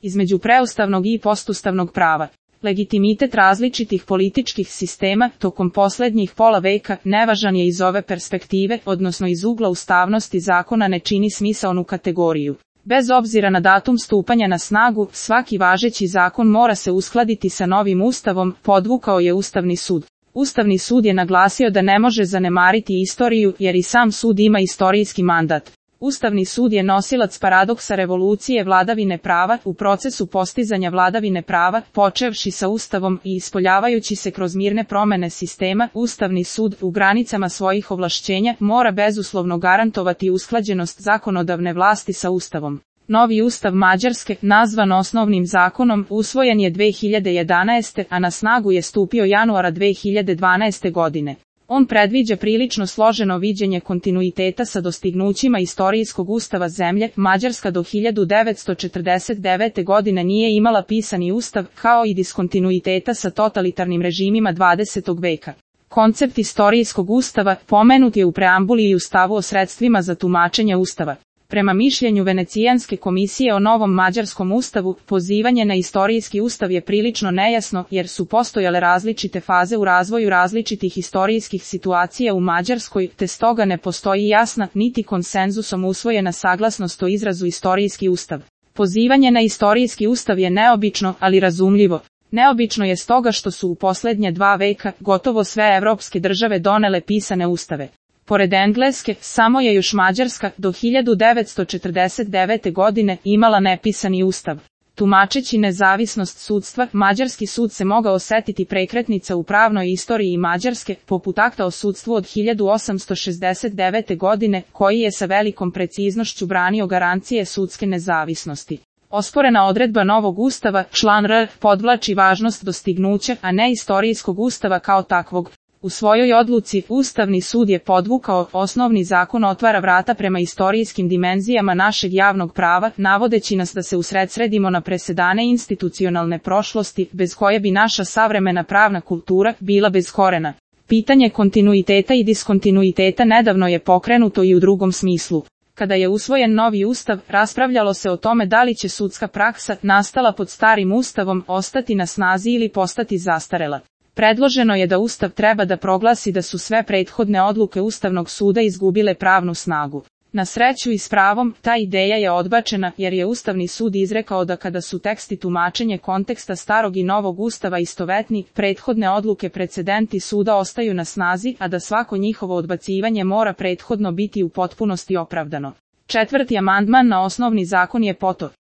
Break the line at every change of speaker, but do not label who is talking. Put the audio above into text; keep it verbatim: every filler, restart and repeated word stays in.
između preustavnog i postustavnog prava. Legitimitet različitih političkih sistema tokom posljednjih pola veka nevažan je iz ove perspektive, odnosno iz ugla ustavnosti zakona ne čini smisaonu kategoriju. Bez obzira na datum stupanja na snagu, svaki važeći zakon mora se uskladiti sa novim ustavom, podvukao je Ustavni sud. Ustavni sud je naglasio da ne može zanemariti istoriju, jer i sam sud ima istorijski mandat. Ustavni sud je nosilac paradoksa revolucije vladavine prava u procesu postizanja vladavine prava, počevši sa Ustavom i ispoljavajući se kroz mirne promene sistema. Ustavni sud u granicama svojih ovlašćenja mora bezuslovno garantovati usklađenost zakonodavne vlasti sa Ustavom. Novi ustav Mađarske, nazvan osnovnim zakonom, usvojen je dve hiljade jedanaeste. a na snagu je stupio januara dve hiljade dvanaeste. godine. On predviđa prilično složeno viđenje kontinuiteta sa dostignućima istorijskog ustava zemlje. Mađarska do hiljadu devetsto četrdeset devete. godine nije imala pisani ustav, kao i diskontinuiteta sa totalitarnim režimima dvadesetog veka. Koncept istorijskog ustava pomenut je u preambuli i u stavu o sredstvima za tumačenje ustava. Prema mišljenju Venecijanske komisije o novom mađarskom ustavu, pozivanje na istorijski ustav je prilično nejasno, jer su postojale različite faze u razvoju različitih istorijskih situacija u Mađarskoj, te stoga ne postoji jasna, niti konsenzusom usvojena saglasnost o izrazu istorijski ustav. Pozivanje na istorijski ustav je neobično, ali razumljivo. Neobično je stoga što su u posljednje dva veka gotovo sve evropske države donele pisane ustave. Pored Engleske, samo je još Mađarska do hiljadu devetsto četrdeset devete. godine imala nepisani ustav. Tumačeći nezavisnost sudstva, mađarski sud se mogao osetiti prekretnica u pravnoj istoriji Mađarske, poput akta o sudstvu od hiljadu osamsto šezdeset devete. godine, koji je sa velikom preciznošću branio garancije sudske nezavisnosti. Osporena odredba novog ustava, član R, podvlači važnost dostignuća, a ne istorijskog ustava kao takvog. U svojoj odluci, Ustavni sud je podvukao, osnovni zakon otvara vrata prema istorijskim dimenzijama našeg javnog prava, navodeći nas da se usredsredimo na presedane institucionalne prošlosti, bez koje bi naša savremena pravna kultura bila bez korena. Pitanje kontinuiteta i diskontinuiteta nedavno je pokrenuto i u drugom smislu. Kada je usvojen novi ustav, raspravljalo se o tome da li će sudska praksa, nastala pod starim ustavom, ostati na snazi ili postati zastarela. Predloženo je da Ustav treba da proglasi da su sve prethodne odluke Ustavnog suda izgubile pravnu snagu. Na sreću i s pravom, ta ideja je odbačena, jer je Ustavni sud izrekao da kada su teksti tumačenje konteksta starog i novog Ustava istovetni, prethodne odluke precedenti suda ostaju na snazi, a da svako njihovo odbacivanje mora prethodno biti u potpunosti opravdano. Četvrti amandman na osnovni zakon je poto.